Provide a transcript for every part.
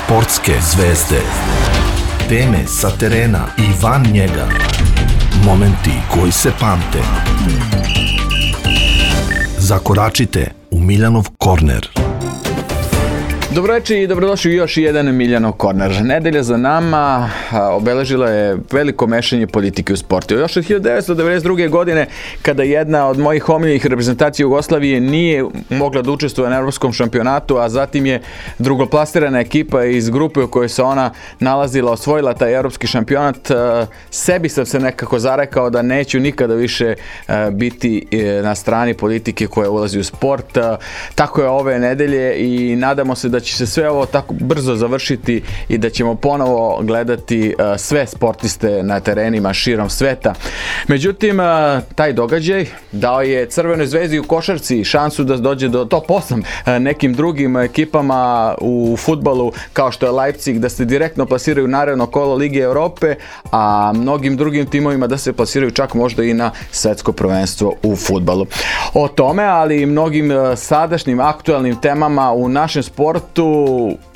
Sportske zvezde. Teme sa terena i van njega. Momenti koji se pamte. Zakoračite u Miljanov korner. Dobroveče i dobrodošli u još jedan Miljanov korner. Nedelja za nama obeležila je veliko mešanje politike u sportu. Još od 1992. godine, kada jedna od mojih omiljenih reprezentacija Jugoslavije nije mogla da učestvuje na evropskom šampionatu, a zatim je drugoplasirana ekipa iz grupe u kojoj se ona nalazila osvojila taj evropski šampionat, sebi sam se nekako zarekao da neću nikada više biti na strani politike koja ulazi u sport. Tako je ove nedelje i nadamo se da će se sve ovo tako brzo završiti i da ćemo ponovo gledati sve sportiste na terenima širom sveta. Međutim, taj događaj dao je Crvenoj zvezdi u košarci šansu da dođe do top 8 nekim drugim ekipama u fudbalu kao što je Leipzig da se direktno plasiraju u naredno kolo Lige Europe, a mnogim drugim timovima da se plasiraju čak možda i na svetsko prvenstvo u fudbalu. O tome, ali i mnogim sadašnjim aktualnim temama u našem sportu,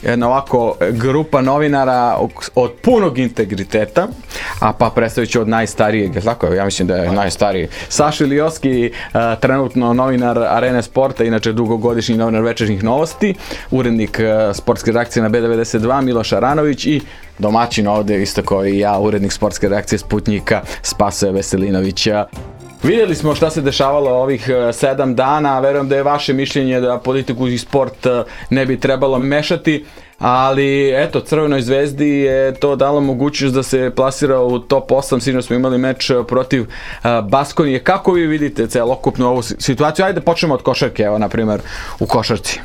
jedna ovako grupa novinara od punog integriteta, a pa predstavit ću od najstarijeg, tako ja mislim da je najstariji, Saša Ilijoski, trenutno novinar Arene sporta, inače dugogodišnji novinar Večernjih novosti, urednik sportske redakcije na B92 Miloš Aranović i domaćin ovde, isto kao i ja, urednik sportske redakcije Sputnjika Spasoje Veselinovića. Vidjeli smo šta se dešavalo ovih 7 dana, verujem da je vaše mišljenje da politiku i sport ne bi trebalo mešati, ali eto, Crvenoj zvezdi je to dalo mogućnost da se plasira u top 8, sinoć smo imali meč protiv Baskonije. Kako vi vidite celokupnu ovu situaciju? Ajde počnemo od košarke, evo na primjer u košarci.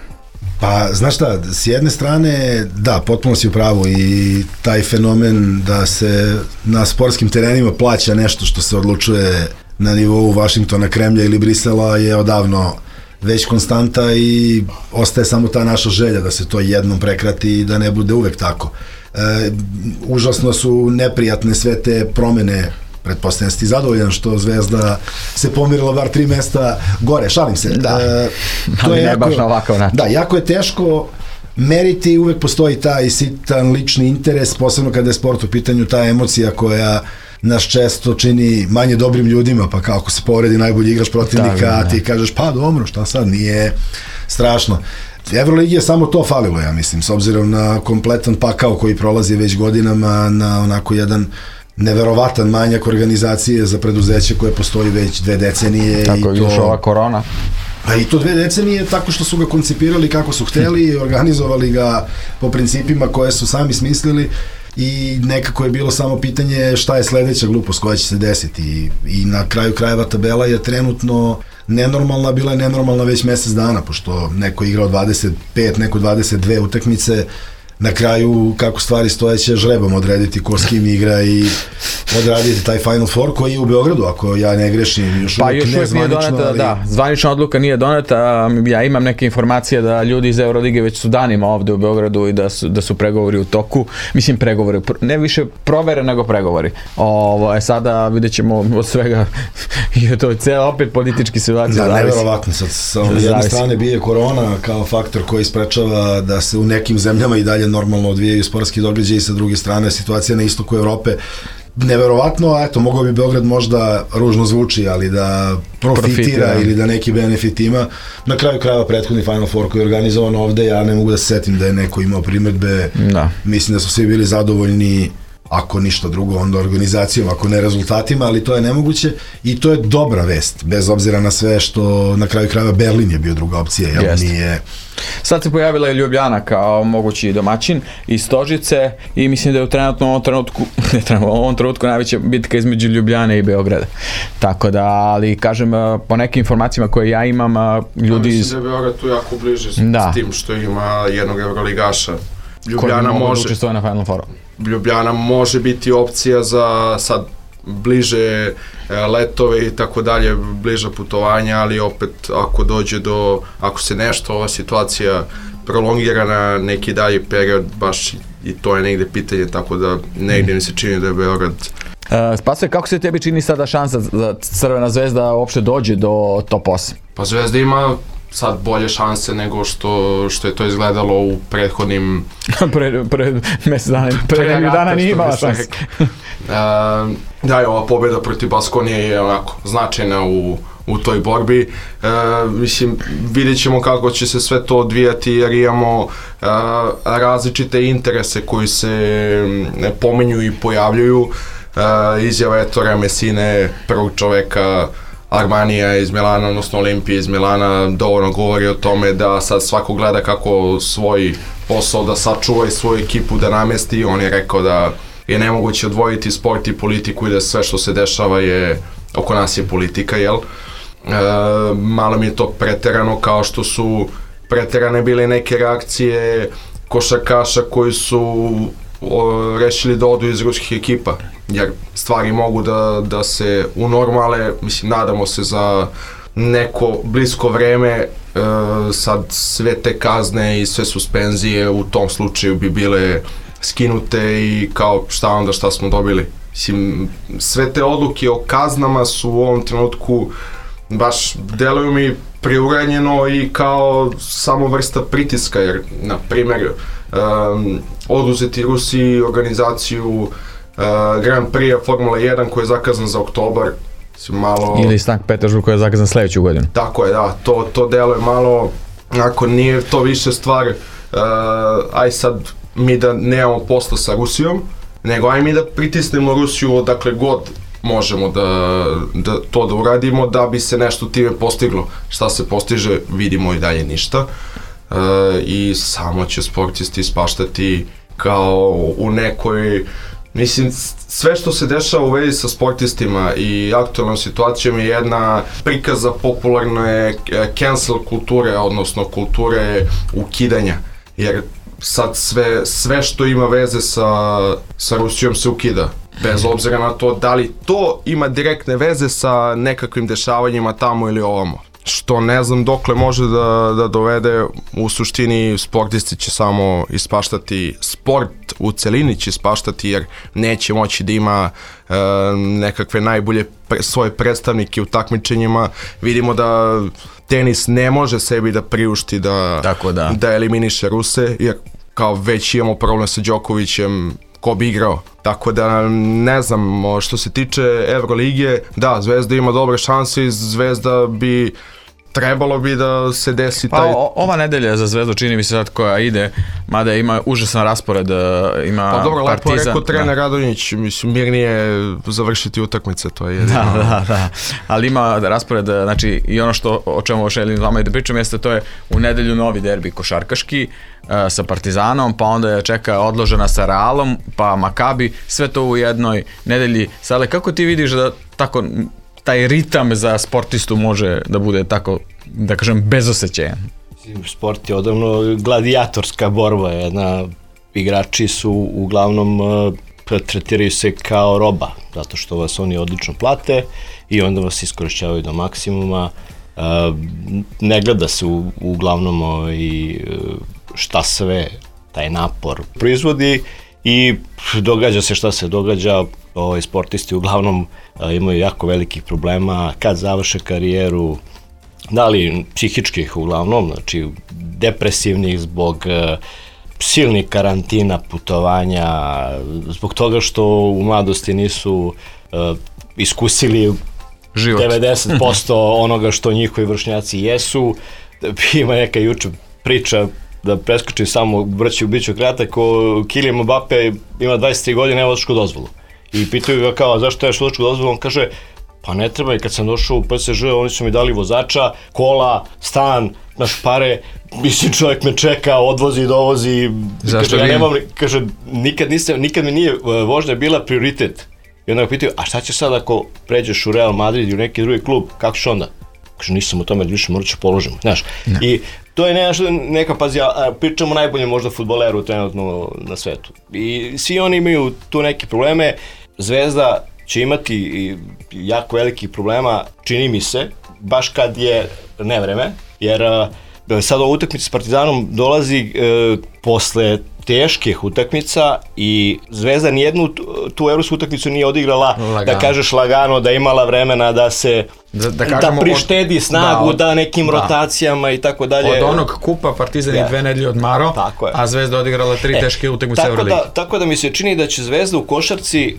Pa, znaš šta, s jedne strane, da, potpuno si u pravu i taj fenomen da se na sportskim terenima plaća nešto što se odlučuje na nivou Vašingtona, Kremlja ili Brisela je odavno već konstanta i ostaje samo ta naša želja da se to jednom prekrati i da ne bude uvek tako. Užasno su neprijatne sve te promene. Pretpostavljam si zadovoljan što Zvezda se pomirila bar 3 mesta gore, šalim se. Da, to ali je ne jako, baš na ovakav način. Da, jako je teško meriti, uvek postoji taj sitan lični interes, posebno kada je sport u pitanju, ta emocija koja nas često čini manje dobrim ljudima, pa kako se povredi najbolji igrač protivnika, a ti kažeš pa dobro, šta sad, nije strašno. Evroligi je samo to falilo, ja mislim, s obzirom na kompletan pakao koji prolazi već godinama, na onako jedan neverovatan manjak organizacije za preduzeće koje postoji već 2 decenije. Tako je još ova korona. A i to 2 decenije tako što su ga koncipirali kako su hteli i organizovali ga po principima koje su sami smislili i nekako je bilo samo pitanje šta je sledeća glupost koja će se desiti i na kraju krajeva tabela je trenutno nenormalna, bila je nenormalna već mesec dana, pošto neko je igrao 25, neko 22 utakmice. Na kraju, kako stvari stoje, će žrebom odrediti ko s kim igra i odraditi taj Final Four koji je u Beogradu, ako ja ne grešim, još uvijek nije doneta, ali... Da, zvanična odluka nije doneta, ja imam neke informacije da ljudi iz Eurolige već su danima ovde u Beogradu i da su pregovori u toku, mislim pregovori, ne više provere nego pregovori. Sada vidjet ćemo od svega i to je cijela opet politički situacija. Da, neverovatno, sad sa jedne strane bije korona kao faktor koji sprečava da se u nekim zemljama i dalje normalno odvijaju sportski događaji, sa druge strane situacija na istoku Evrope neverovatno, a eto, mogao bi Beograd možda ružno zvuči, ali da profitira ili da neki benefit ima. Na kraju krajeva prethodni Final Four koji je organizovan ovde, ja ne mogu da se setim da je neko imao primedbe, mislim da su svi bili zadovoljni, ako ništa drugo, onda organizacijom, ako ne rezultatima, ali to je nemoguće i to je dobra vest, bez obzira na sve što na kraju krajeva Berlin je bio druga opcija, jel nije... Sad se pojavila i Ljubljana kao mogući domaćin iz Stožice i mislim da je u ovom trenutku najveća bitka između Ljubljane i Beograda. Tako da, ali kažem, po nekim informacijama koje ja imam, ljudi iz... Mislim da je Beograd tu jako bliže s tim što ima jednog evroligaša. Ljubljana može učestvovati na Final Fouru. Ljubljana može biti opcija za sad bliže letove i tako dalje, bliža putovanja, ali opet ako se nešto, ova situacija prolongira na neki dalji period, baš i to je negde pitanje, tako da negde mi se čini da je Beograd... Spasoje, kako se tebi čini sada šansa da Crvena zvezda uopšte dođe do top 8? Pa Zvezda ima sad bolje šanse nego što je to izgledalo u prethodnim... Pre mesec dana nije imala šanse. Da, ova pobjeda protiv Baskonije je onako značajna u toj borbi. Mislim, vidjet ćemo kako će se sve to odvijati jer imamo različite interese koji se pominju i pojavljuju. Izjava Ettore Messine, prvog čoveka Armanija iz Milana, odnosno Olimpije iz Milana, dovoljno govori o tome da sad svako gleda kako svoj posao da sačuva i svoju ekipu da namesti. On je rekao da je nemoguće odvojiti sport i politiku i da sve što se dešava oko nas je politika, jel? Malo mi je to preterano, kao što su preterane bile neke reakcije košarkaša koji su rešili da odu iz ruskih ekipa, jer stvari mogu da se unormale, mislim, nadamo se za neko blisko vreme, sad sve te kazne i sve suspenzije u tom slučaju bi bile skinute i kao šta smo dobili. Mislim, sve te odluke o kaznama su u ovom trenutku baš deluju mi preuranjeno i kao samo vrsta pritiska, jer, na primjer, oduzeti Rusiji organizaciju Grand Prix Formula 1 koji je zakazan za oktobar, malo... Ili Sankt Petersburg koji je zakazan sledeću godinu. Tako je, da, to deluje malo, ako nije to više stvar, aj sad mi da nemamo posla sa Rusijom, nego aj mi da pritisnemo Rusiju odakle god možemo da to da uradimo da bi se nešto time postiglo. Šta se postiže, vidimo i dalje ništa. I samo će sportisti ispaštati kao u nekoj, mislim, sve što se dešava u vezi sa sportistima i aktualnom situacijom je jedna prikaza popularne cancel kulture, odnosno kulture ukidanja, jer sad sve što ima veze sa Rusijom se ukida, bez obzira na to da li to ima direktne veze sa nekakvim dešavanjima tamo ili ovamo. Što ne znam dokle može da dovede, u suštini sportisti će samo ispaštati, sport u celini će ispaštati jer neće moći da ima nekakve najbolje svoje predstavnike u takmičenjima. Vidimo da tenis ne može sebi da priušti da eliminiše Ruse, jer kao već imamo problem sa Đokovićem, ko bi igrao. Tako da ne znam, što se tiče Evrolige, da, Zvezda ima dobre šanse i Zvezda trebalo bi da se desi taj... Ova nedelja za Zvezdu čini mi se sad koja ide, mada ima užasan raspored, ima Partizan. Pa dobro, lepo je rekao trener Radonjić, mislim, mirnije završiti utakmice, to je jedino. Da, ali ima raspored, znači i ono o čemu želim s vama i da pričam jeste, to je u nedelju novi derbi košarkaški sa Partizanom, pa onda je čeka odložena sa Realom, pa Makabi, sve to u jednoj nedelji. Sale, kako ti vidiš da tako taj ritam za sportistu može da bude tako, da kažem, bezosećajan? Sport je odavno gladijatorska borba, igrači su uglavnom tretiraju se kao roba, zato što vas oni odlično plate i onda vas iskorišćavaju do maksimuma. Ne gleda se uglavnom šta sve taj napor proizvodi i događa se šta se događa. Sportisti uglavnom imaju jako velikih problema kad završe karijeru, da li psihičkih uglavnom, znači depresivnih zbog silnih karantina, putovanja, zbog toga što u mladosti nisu iskusili život. 90% onoga što njihovi vršnjaci jesu. Ima neka juče priča, da preskočim samo, biću kratak, Kylian Mbappe ima 23 godine, nema vozačku dozvolu. I pitaju ga kao, zašto imaš vozačku dozvolu? On kaže, pa ne treba, i kad sam došao u PSG, oni su mi dali vozača, kola, stan, naš pare, mislim, čovjek me čeka, odvozi, dovozi. Zašto kaže, ja nemam, kaže, nikad mi nije vožnja bila prioritet. I onda ga pitaju, a šta će sad ako pređeš u Real Madrid i u neki drugi klub, kako ćeš onda? Kaže, nisam o tome više, morat ću položiti, znaš. I to je neka, pazi, pričamo najbolje možda fudbaleru trenutno na svetu. I svi oni imaju tu neke probleme. Zvezda će imati jako velikih problema, čini mi se, baš kad je nevreme, jer sad ova utakmica s Partizanom dolazi posle teških utakmica i Zvezda nijednu tu evropsku utakmicu nije odigrala, lagano. Da kažeš lagano, da imala vremena da se da prištedi snagu, da nekim rotacijama i tako dalje. Od onog kupa Partizan je 2 nedelje odmarao, a Zvezda odigrala 3 teške utakmice Euroligi. Tako da mi se čini da će Zvezda u košarci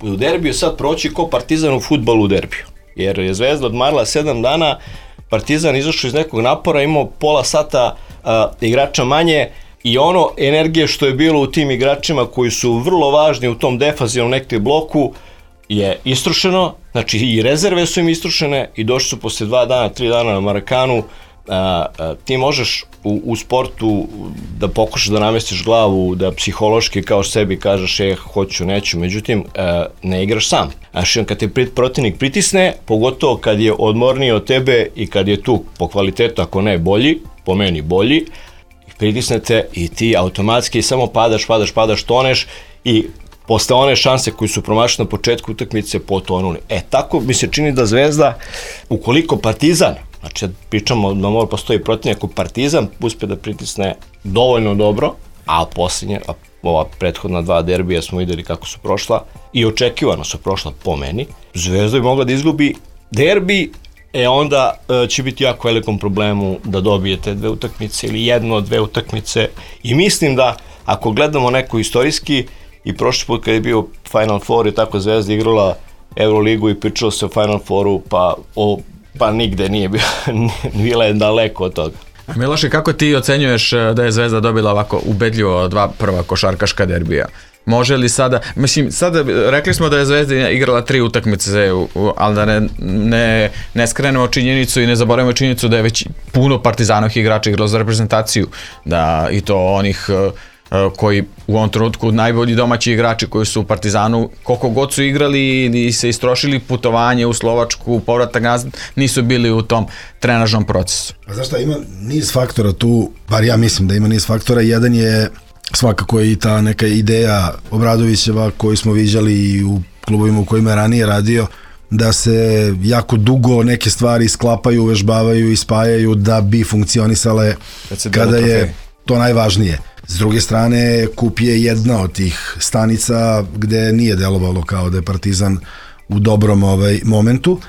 u derbiju sad proći ko Partizan u fudbalu u derbiju. Jer je Zvezda odmarala 7 dana, Partizan izašao iz nekog napora, imao pola sata igrača manje i ono energije što je bilo u tim igračima koji su vrlo važni u tom defanzivnom nekom bloku je istrošeno, znači i rezerve su im istrošene i došli su posle 2 dana, 3 dana na Marakanu. Ti možeš u sportu da pokušaš da namestiš glavu, da psihološki kao sebi kažeš hoću, neću, međutim ne igraš sam. Znači kad te protivnik pritisne, pogotovo kad je odmorniji od tebe i kad je tu po kvalitetu, ako ne bolji, po meni bolji, pritisnete i ti automatski samo padaš, toneš i posle one šanse koji su promašene na početku utakmice potonuli. Tako mi se čini da Zvezda, ukoliko Partizan, znači pričamo da mora postoji protivnik, ako Partizan uspe da pritisne dovoljno dobro, a posljednje, ova prethodna 2 derbija smo videli kako su prošla i očekivano su prošla po meni, Zvezda bi mogla da izgubi derbi, onda će biti jako velikom problemu da dobijete 2 utakmice ili 1 od 2 utakmice i mislim da ako gledamo neko istorijski i prošli put kad je bio Final Four i tako Zvezda igrala Euroligu i pričalo se o Final Fouru pa nigde nije bila je daleko od toga. Miloše, kako ti ocenjuješ da je Zvezda dobila ovako ubedljivo 2 prva košarkaška derbija? Može li sada, sada rekli smo da je Zvezda igrala 3 utakmice, ali da ne skrenemo činjenicu i ne zaboravimo činjenicu da je već puno Partizanovih igrača igralo za reprezentaciju, da i to onih koji u ovom trenutku najbolji domaći igrači koji su u Partizanu, koliko god su igrali i se istrošili putovanje u Slovačku, povratak nazad, nisu bili u tom trenažnom procesu. A znaš šta, ima niz faktora tu, bar ja mislim da ima niz faktora, jedan je svakako i ta neka ideja Obradovićeva koju smo viđali i u klubovima u kojima je ranije radio, da se jako dugo neke stvari sklapaju, uvežbavaju i spajaju da bi funkcionisale kada je to najvažnije. S druge strane, Kup je jedna od tih stanica gde nije delovalo kao da je Partizan u dobrom momentu.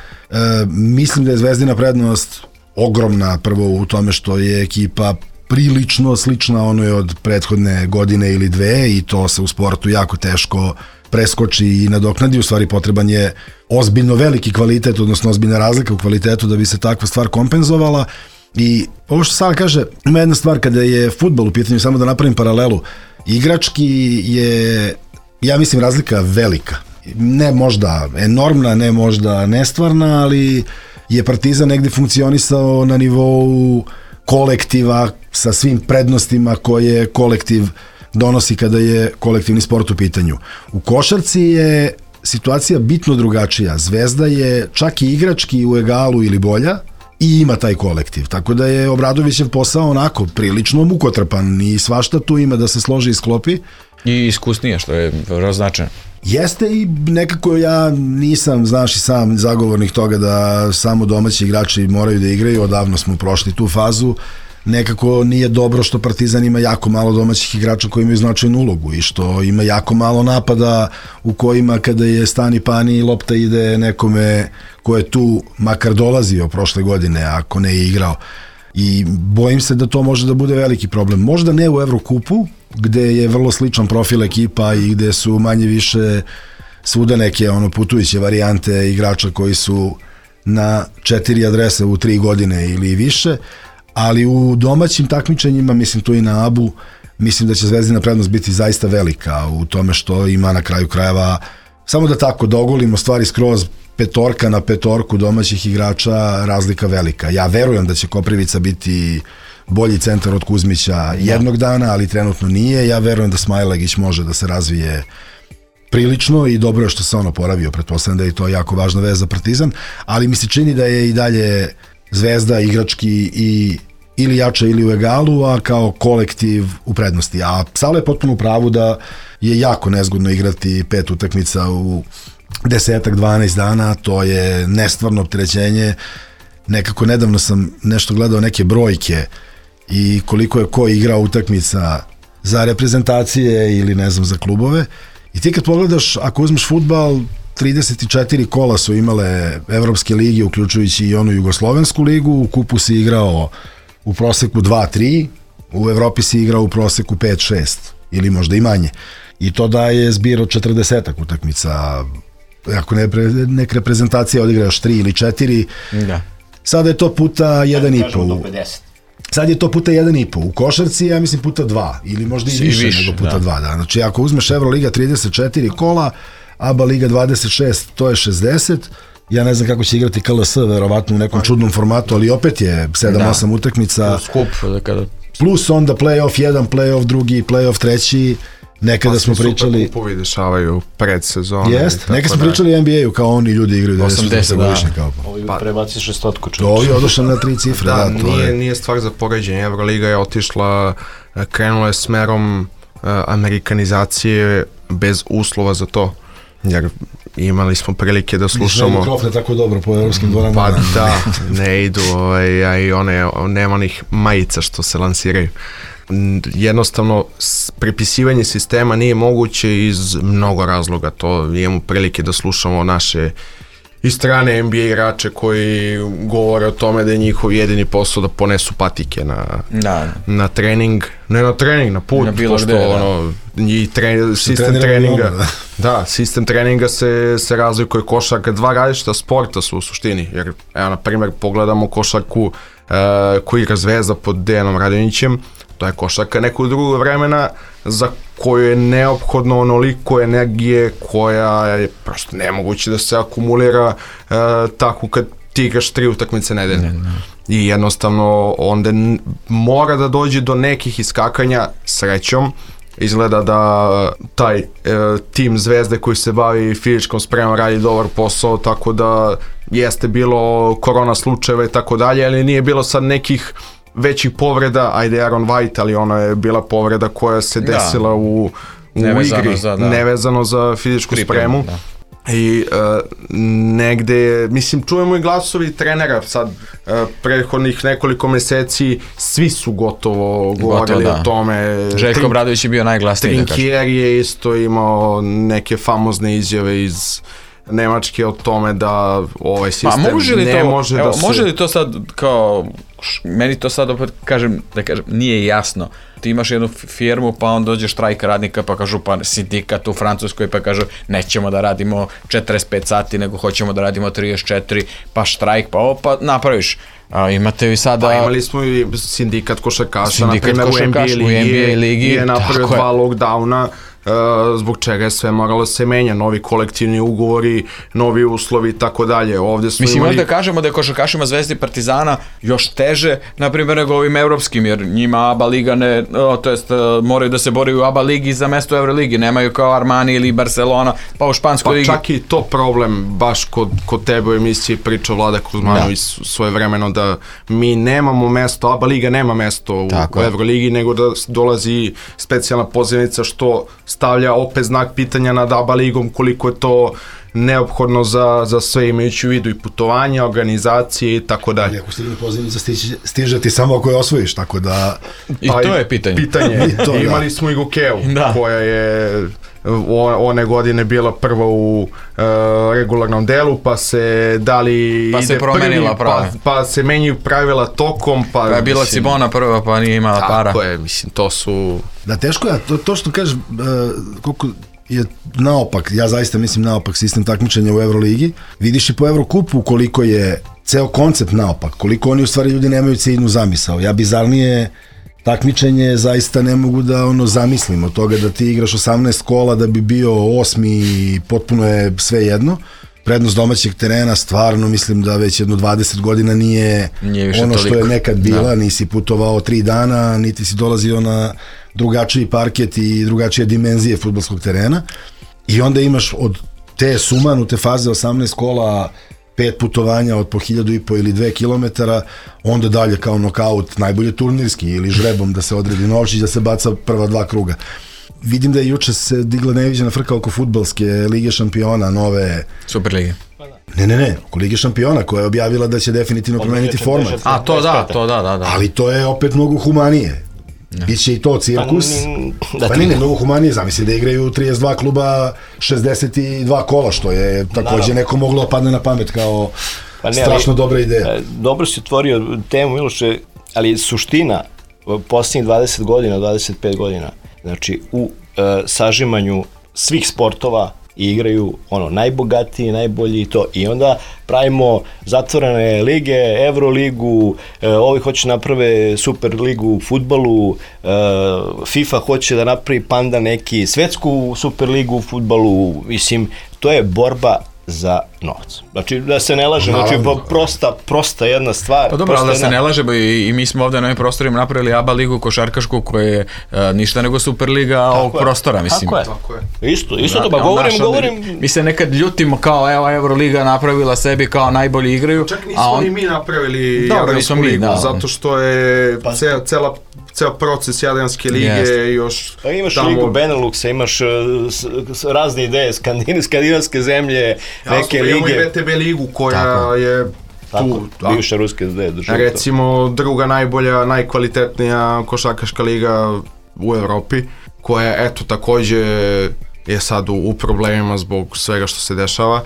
Mislim da je Zvezdina prednost ogromna, prvo u tome što je ekipa prilično slična onoj od prethodne godine ili 2 i to se u sportu jako teško preskoči i nadoknadi. U stvari potreban je ozbiljno veliki kvalitet, odnosno ozbiljna razlika u kvalitetu da bi se takva stvar kompenzovala. I ovo što Sala kaže, ima jedna stvar kada je fudbal u pitanju, samo da napravim paralelu, igrački je, ja mislim, razlika velika. Ne možda enormna, ne možda nestvarna, ali je Partizan negde funkcionisao na nivou kolektiva sa svim prednostima koje kolektiv donosi kada je kolektivni sport u pitanju. U košarci je situacija bitno drugačija. Zvezda je čak i igrački u egalu ili bolja i ima taj kolektiv. Tako da je Obradovićev posao onako prilično mukotrpan i svašta tu ima da se složi i sklopi. I iskusnije, što je vrlo značajno. Jeste i nekako ja nisam, znaš i sam, zagovornik toga da samo domaći igrači moraju da igraju, odavno smo prošli tu fazu. Nekako nije dobro što Partizan ima jako malo domaćih igrača koji imaju značajnu ulogu i što ima jako malo napada u kojima kada je stani pani lopta ide nekome ko je tu makar dolazio prošle godine, ako ne je igrao. I bojim se da to može da bude veliki problem. Možda ne u Evrokupu, gde je vrlo sličan profil ekipa i gde su manje više svuda neke putujuće varijante igrača koji su na 4 adrese u 3 godine ili više, ali u domaćim takmičenjima, mislim tu i na ABU, mislim da će Zvezdina prednost biti zaista velika u tome što ima na kraju krajeva, samo da tako dogolimo stvari skroz, 5 na 5 domaćih igrača, razlika velika. Ja verujem da će Koprivica biti bolji centar od Kuzmića jednog dana, ali trenutno nije. Ja verujem da Smajlagić može da se razvije prilično i dobro je što se on oporavio, pretpostavljam da je to jako važna veza za Partizan, ali mi se čini da je i dalje Zvezda igrački i ili jača ili u egalu, a kao kolektiv u prednosti. A Sala je potpuno u pravu da je jako nezgodno igrati 5 utakmica u 10-12 dana, to je nestvarno opterećenje. Nekako nedavno sam nešto gledao neke brojke i koliko je ko igrao utakmica za reprezentacije ili ne znam za klubove. I ti kad pogledaš, ako uzmeš fudbal, 34 kola su imale evropske lige, uključujući i onu jugoslovensku ligu, u kupu si igrao u proseku 2-3, u Evropi si igrao u proseku 5-6 ili možda i manje. I to daje zbir od 40 utakmica. Ako neka reprezentacija odigra još 3 ili 4, da. Sada je to puta 1,5. Sad je to puta 1,5. U košarci, ja mislim, puta 2. Ili možda i više nego puta 2. Da. Znači, ako uzmeš Euroliga 34 kola, ABA Liga 26, to je 60. Ja ne znam kako će igrati KLS, verovatno u nekom čudnom formatu, ali opet je 7-8 utakmica. Skup. Plus onda play-off 1, play-off 2, play-off 3. Nekada smo pričali... Kupovi dešavaju pred sezonu. Jest, nekada smo pričali o NBA-u kao oni ljudi igraju 90 godišnje. Ovi prebaci 600 čovječe. Ovi odošli na 3 cifre. Da, nije stvar za poređenje. Euroliga je otišla, krenula je smerom amerikanizacije bez uslova za to. Jer imali smo prilike da slušamo... Nismo mikrofone tako dobro po evropskim dvoranama. Pa da, ne idu, a i nema onih majica što se lansiraju. Jednostavno, prepisivanje sistema nije moguće iz mnogo razloga. To imamo prilike da slušamo naše i strane NBA igrače koji govore o tome da je njihov jedini posao da ponesu patike na trening, ne na trening, na put, na bilo gde, sistem treninga. Da, sistem treninga se razlikuje košarka, dva različita sporta su u suštini, jer evo na primjer pogledamo košarku koju igra Zvezda pod Dejanom Radonjićem, to je košarka nekog drugog vremena za koju je neophodno onoliko energije koja je prosto nemoguće da se akumulira tako kad ti igraš 3 utakmice nedeljno. I jednostavno onda mora da dođe do nekih iskakanja srećom. Izgleda da taj tim Zvezde koji se bavi fizičkom spremom radi dobar posao, tako da jeste bilo korona slučajeva i tako dalje, ali nije bilo sad nekih većih povreda, ajde Aaron White, ali ona je bila povreda koja se desila u igri, nevezano za fizičku spremu. Da. I negde, mislim, čujemo i glasovi trenera sad, prethodnih nekoliko meseci, svi su gotovo govorili o tome. Željko Obradović je bio najglasniji. Trinkier je isto imao neke famozne izjave iz Nemačke o tome da ovaj sistem ne može da se... Može li to sad kao, meni to sad opet kažem, nije jasno. Ti imaš jednu firmu, pa on dođe štrajk radnika, pa kažu pa sindikat u Francuskoj, pa kažu nećemo da radimo 45 sati, nego hoćemo da radimo 34, pa štrajk, pa napraviš. Imate i sada... Pa imali smo i sindikat košarkaša, na primjer u NBA ligi je napravio 2 lockdowna, zbog čega je sve moralo se menja, novi kolektivni ugovori, novi uslovi i tako dalje. Mislim, možda kažemo da je košarkašima Zvezde i Partizana još teže, na primjer, nego ovim evropskim, jer njima ABA liga moraju da se boraju u ABA ligi za mesto u Euroligi, nemaju kao Armani ili Barcelona, pa u Španskoj ligi. Pa čak i to problem, baš kod tebe u emisiji pričao Vlada Kuzmanović svoje vremeno, da mi nemamo mesto, ABA liga nema mesto u Euroligi, nego da dolazi specijalna pozivnica što stavlja opet znak pitanja nad ABA ligom koliko je to neophodno za sve, imajući u vidu i putovanja, organizacije i tako dalje. Ako stigne pozivnica, stiže ti samo ako je osvojiš, tako da... I to je pitanje. Imali smo i Gokeju, koja je one godine bila prva u regularnom delu, pa se promenila pravila. Pa se menjaju pravila tokom, pa je bila Cibona prva, pa nije imala para. Tako je, mislim, to su... Da, teško je, to što kažeš, koliko je naopak, ja zaista mislim naopak sistem takmičenja u Euroligi. Vidiš i po Eurokupu koliko je ceo koncept naopak, koliko oni u stvari ljudi nemaju ciljnu zamisao. Ja bizarnije takmičenje zaista ne mogu da zamislim od toga da ti igraš 18 kola da bi bio 8. i potpuno je sve jedno. Prednost domaćeg terena stvarno mislim da već jedno 20 godina nije ono što je nekad bila, nisi putovao 3 dana, niti si dolazio na drugačiji parket i drugačije dimenzije fudbalskog terena i onda imaš od te sumanute faze 18 kola 5 putovanja od po 1.500 ili 2 kilometara, onda dalje kao nokaut, najbolje turnirski ili žrebom da se odredi novčić, da se baca prva 2 kruga. Vidim da je juče se digla neviđena frka oko fudbalske Lige šampiona, nove... Superlige. Ne, oko Lige šampiona koja je objavila da će definitivno promeniti format. A to da. Ali to je opet mnogo humanije. Biće i to cirkus. Pa ne, mnogo humanije, zamisli da igraju 32 kluba 62 kola, što je takođe neko moglo padne na pamet kao strašno dobra ideja. Dobro si otvorio temu, Miloše, ali suština posljednjih 20 godina, 25 godina, znači u sažimanju svih sportova igraju najbogatiji, najbolji i to. I onda pravimo zatvorene lige, Euroligu, ovi hoće naprave Super ligu u fudbalu, FIFA hoće da napravi Panda neki svetsku Super ligu u fudbalu, mislim, to je borba za novac. Znači, da se ne lažemo, znači, prosta jedna stvar. Pa dobro, ali da se ne lažemo i mi smo ovde na ovim prostorima napravili ABA ligu košarkašku koja je ništa nego Superliga ovog prostora, mislim. Tako je. Isto to, pa govorim... Mi se nekad ljutimo kao, evo, Euroliga napravila sebi kao najbolji igraju. Čak nismo ni mi napravili Jadransku ligu, zato što je ceo proces Jadranske lige još tamo... Imaš ligu Beneluxa, imaš razne ideje, skandinavske zemlje, neke lige. Imamo i VTB ligu koja je tu. Bivša ruske države. Recimo druga najbolja, najkvalitetnija košarkaška liga u Evropi, koja eto takođe je sad u problemima zbog svega što se dešava.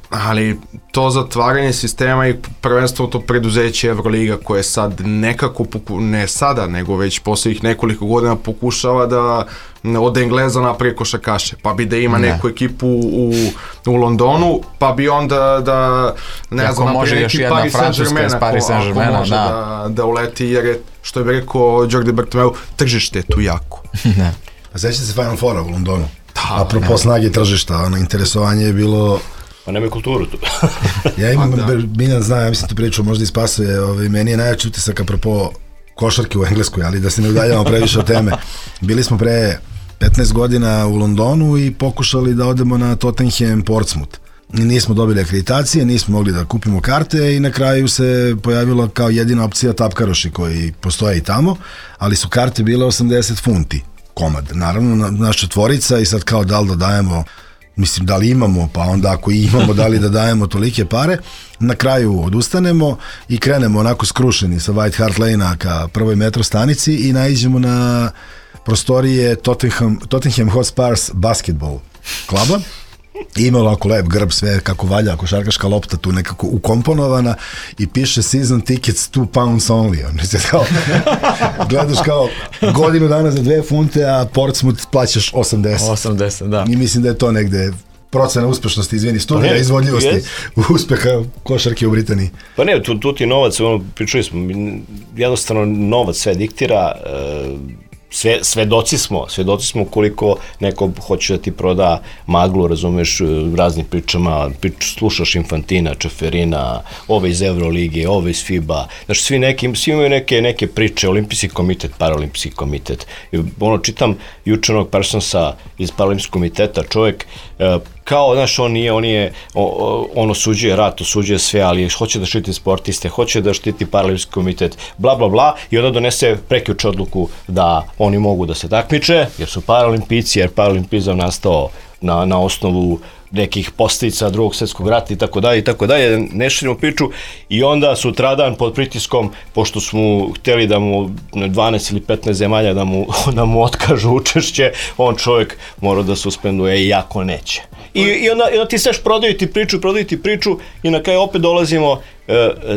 Ali to zatvaranje sistema i prvenstveno to preduzeće Euroliga koje sad nekako, ne sada, nego već poslednjih nekoliko godina pokušava da od Engleza napravi košarkaše, pa bi da ima neku ekipu u Londonu, pa bi onda da ne znam, napravi neki Paris Saint-Germain ako može da uleti, jer je, što je bi rekao Jordi Bartomeu, tržište je tu jako. A sećate se Final Foura u Londonu? Apropo snage tržišta, interesovanje je bilo... Pa nema kulturu tu. Ja imam, Miljan zna, ja mislim tu priču, možda ispasuje, meni je najjači utisak apropo košarke u Engleskoj, ali da se ne udaljamo previše od teme. Bili smo pre 15 godina u Londonu i pokušali da odemo na Tottenham Portsmouth. Nismo dobili akreditacije, nismo mogli da kupimo karte i na kraju se pojavila kao jedina opcija tapkaroši koji postoje i tamo, ali su karte bile 80 funti komad. Naravno, naša tvorica i sad kao da li da dajemo, mislim da li imamo, pa onda ako imamo da li da dajemo tolike pare, na kraju odustanemo i krenemo onako skrušeni sa White Hart Lane-a ka prvoj metro stanici i naiđemo na prostorije Tottenham Hotspurs basketball kluba. Imalo ovako lep grb, sve kako valja, košarkaška lopta tu nekako ukomponovana i piše season tickets £2 only. Gledaš kao godinu dana za 2 funte, a Portsmouth plaćaš 80. Da. I mislim da je to negde procena uspešnosti, izvini, studija izvodljivosti uspeha košarke u Britaniji. Pa ne, tu ti novac, pričali smo, jednostavno novac sve diktira, svedoci smo koliko neko hoće da ti proda maglu, razumeš, raznim pričama, slušaš Infantina, Čeferina, ove iz Eurolige, ove iz FIBA, znači svi imaju neke priče, olimpijski komitet, paralimpijski komitet. Čitam juče onog Parsonsa iz paralimpijskog komiteta, čovjek kao, znaš, on osuđuje rat, osuđuje sve, ali hoće da štiti sportiste, hoće da štiti paralimpijski komitet, bla, bla, bla, i onda donese prekjuče odluku da oni mogu da se takmiče, jer su paralimpijci, jer paralimpizam nastao na osnovu nekih posljedica Drugog svjetskog rata i tako dalje, ne širimo priču, i onda sutradan pod pritiskom, pošto smo htjeli da mu 12 ili 15 zemalja da mu otkažu učešće, on čovjek mora da suspenduje, iako neće. I onda ti seš prodaju ti priču i na kraju opet dolazimo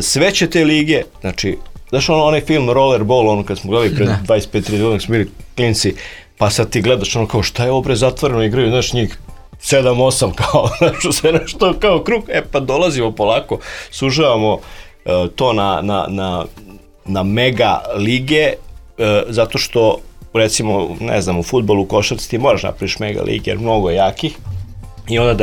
sve će te lige, znači, znaš onaj film Rollerball, kad smo gledali pred 25-30 godina, smo bili klinci, pa sad ti gledaš kao šta je ovo bre zatvoreno, igraju, znaš, njih 7-8 kao, znaš, sve nešto kao krug, pa dolazimo polako, sužavamo to na mega lige, zato što, recimo, ne znam, u fudbalu, u košarci ti moraš napraviš mega lige, jer mnogo je jakih, i onda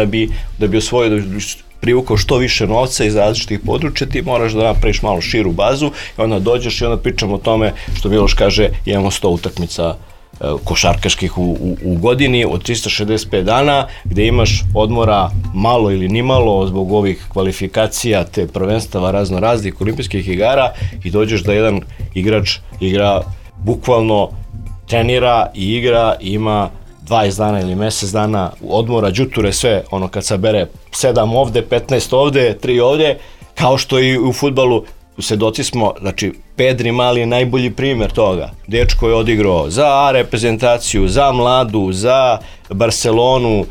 da bi osvojio, da bi privukao što više novca iz različitih područja, ti moraš da napraviš malo širu bazu i onda dođeš i onda pričamo o tome, što Miloš kaže, imamo 100 utakmica košarkaških u godini od 365 dana, gde imaš odmora malo ili nimalo zbog ovih kvalifikacija, te prvenstava raznih olimpijskih igara, i dođeš da jedan igrač igra, bukvalno trenira i igra i ima 20 dana ili mesec dana odmora, đuture, sve, kad sabere 7 ovde, 15 ovde, 3 ovde, kao što i u fudbalu svedoci smo, znači Pedri Mali je najbolji primjer toga. Dečko je odigrao za A reprezentaciju, za mladu, za Barcelonu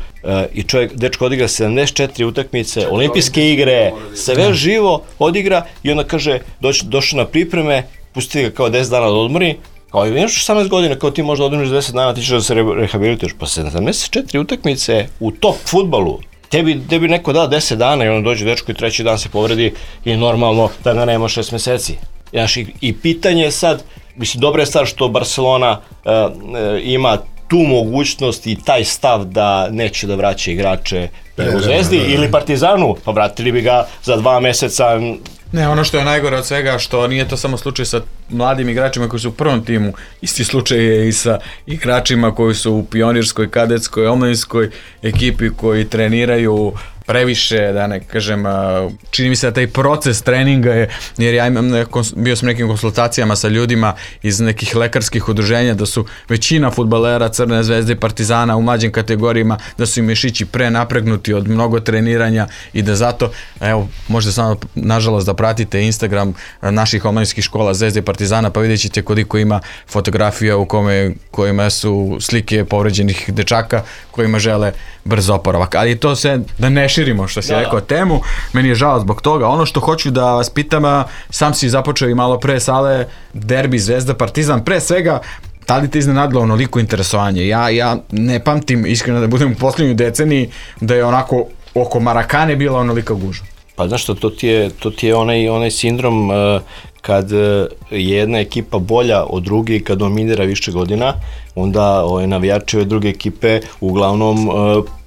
i dečko odigra 74 utakmice, olimpijske igre, sve živo odigra i onda kaže, došao na pripreme, pusti ga kao 10 dana da odmori, kao imaš 18 godina, kao ti možda odmoriš 10 dana, ti ćeš da se rehabilituješ, pa 74 utakmice u top fudbalu. Tebi neko da 10 dana i onda dođe dečko i treći dan se povredi i normalno da ga nema 6 meseci. I pitanje je sad, mislim, dobra je stvar što Barcelona ima tu mogućnost i taj stav da neće da vraća igrače u Zvezdi ili Partizanu, pa vratili bi ga za 2 meseca. Ne, ono što je najgore od svega, što nije to samo slučaj sa mladim igračima koji su u prvom timu, isti slučaj je i sa igračima koji su u pionirskoj, kadetskoj, omladinskoj ekipi koji treniraju previše, da ne kažem, čini mi se da taj proces treninga je, jer ja bio sam nekim konsultacijama sa ljudima iz nekih lekarskih udruženja, da su većina fudbalera Crne Zvezde i Partizana u mlađim kategorijama, da su im mišići prenapregnuti od mnogo treniranja i da zato, evo, možete samo nažalost da pratite Instagram naših omladinskih škola Zvezde i Partizana, pa vidjet ćete koliko ima fotografija u kojima su slike povređenih dečaka kojima žele brz oporavak. Ali to sve da ne širimo što si rekao temu, meni je žao zbog toga. Ono što hoću da vas pitam, sam si započeo i malo pre Sale, derbi Zvezda Partizan, pre svega, da li te iznenadilo onoliko interesovanje? Ja ne pamtim, iskreno da budem u posljednjoj deceniji, da je onako oko Marakane bila onolika gužva. Pa znaš što, to ti je onaj sindrom kad je jedna ekipa bolja od druge i kad dominira više godina, onda navijači ove druge ekipe uglavnom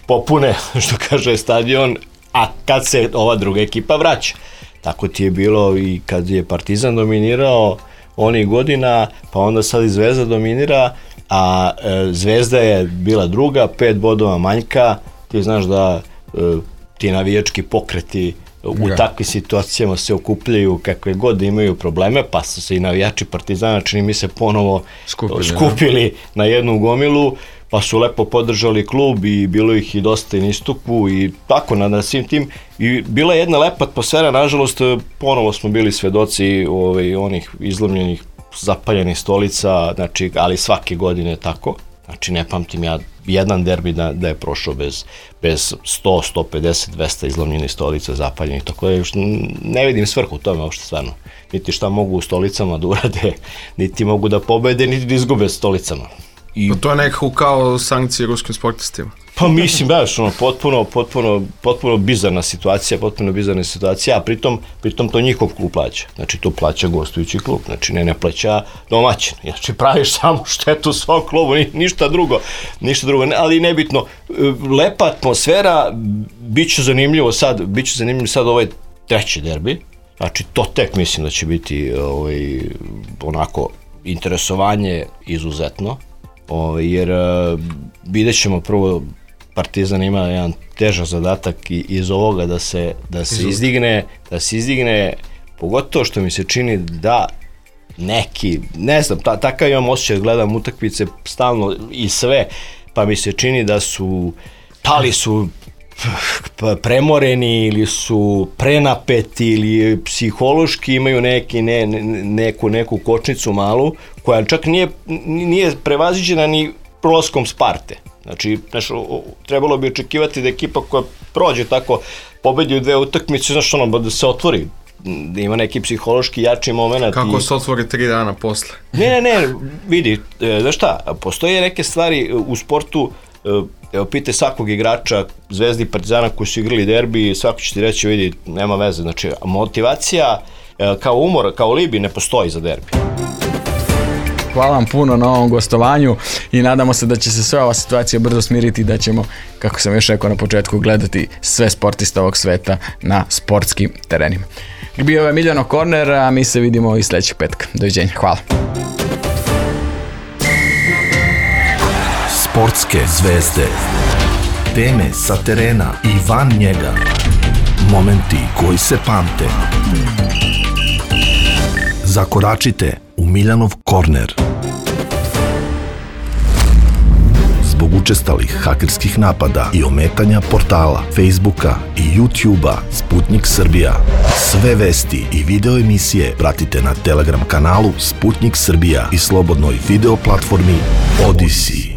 popune, što kaže, stadion, a kad se ova druga ekipa vraća. Tako ti je bilo i kad je Partizan dominirao onih godina, pa onda sad i Zvezda dominira, a Zvezda je bila druga, 5 bodova manjka, ti znaš da ti navijački pokreti u takvim situacijama se okupljaju kakve god da imaju probleme, pa su se i navijači Partizana, čini mi se, ponovo skupili na jednu gomilu, pa su lepo podržali klub i bilo ih i dosta i na istupu i tako na svim tim. I bila je jedna lepa atmosfera, nažalost, ponovo smo bili svedoci onih izlomljenih, zapaljenih stolica, znači, ali svake godine tako. Znači, ne pamtim ja jedan derbi da je prošao bez 100, 150, 200 izlomljenih stolica, zapaljenih, tako da ne vidim svrhu u tome uopšte stvarno. Niti šta mogu u stolicama da urade, niti mogu da pobede, niti da izgube stolicama. To je nekako kao sankcije ruskim sportistima. Pa mislim, baš, potpuno bizarna situacija, a pritom to njihov klub plaća. Znači, to plaća gostujući klub, znači ne plaća domaćin. Znači, praviš samo štetu svom klubu, ništa drugo, ali nebitno. Lepa atmosfera, bit će zanimljivo sad ovaj treći derbi, znači, to tek mislim da će biti onako interesovanje izuzetno, jer vidjet ćemo prvo, Partizan ima jedan težak zadatak iz ovoga da se izdigne, pogotovo što mi se čini da neki, ne znam, takav imam osjećaj, gledam utakmice stalno i sve, pa mi se čini da su, da li su premoreni ili su prenapeti ili psihološki imaju neku kočnicu malu koja čak nije prevaziđena ni prolaskom Sparte. Znači, trebalo bi očekivati da ekipa koja prođe tako, pobedi u 2 utakmice, znaš da se otvori, da ima neki psihološki jači moment. Kako se otvori 3 dana posle? Ne, vidi, znaš šta, postoje neke stvari u sportu, evo pite svakog igrača Zvezde i Partizana koji su igrali derbi, svako će ti reći, vidi, nema veze, znači motivacija kao umor, kao libi ne postoji za derbi. Hvala vam puno na ovom gostovanju i nadamo se da će se sve ova situacija brzo smiriti i da ćemo, kako sam još rekao na početku, gledati sve sportiste ovog sveta na sportskim terenima. Bio je Miljano Korner, a mi se vidimo i sljedećeg petka. Doviđenja, hvala. Sportske zvezde. Teme sa terena i van njega. Momenti koji se pamte. Zakoračite u Miljanov korner. Zbog učestalih hakerskih napada i ometanja portala, Facebooka i YouTubea Sputnik Srbija. Sve vesti i video emisije pratite na Telegram kanalu Sputnik Srbija i slobodnoj video platformi Odyssey.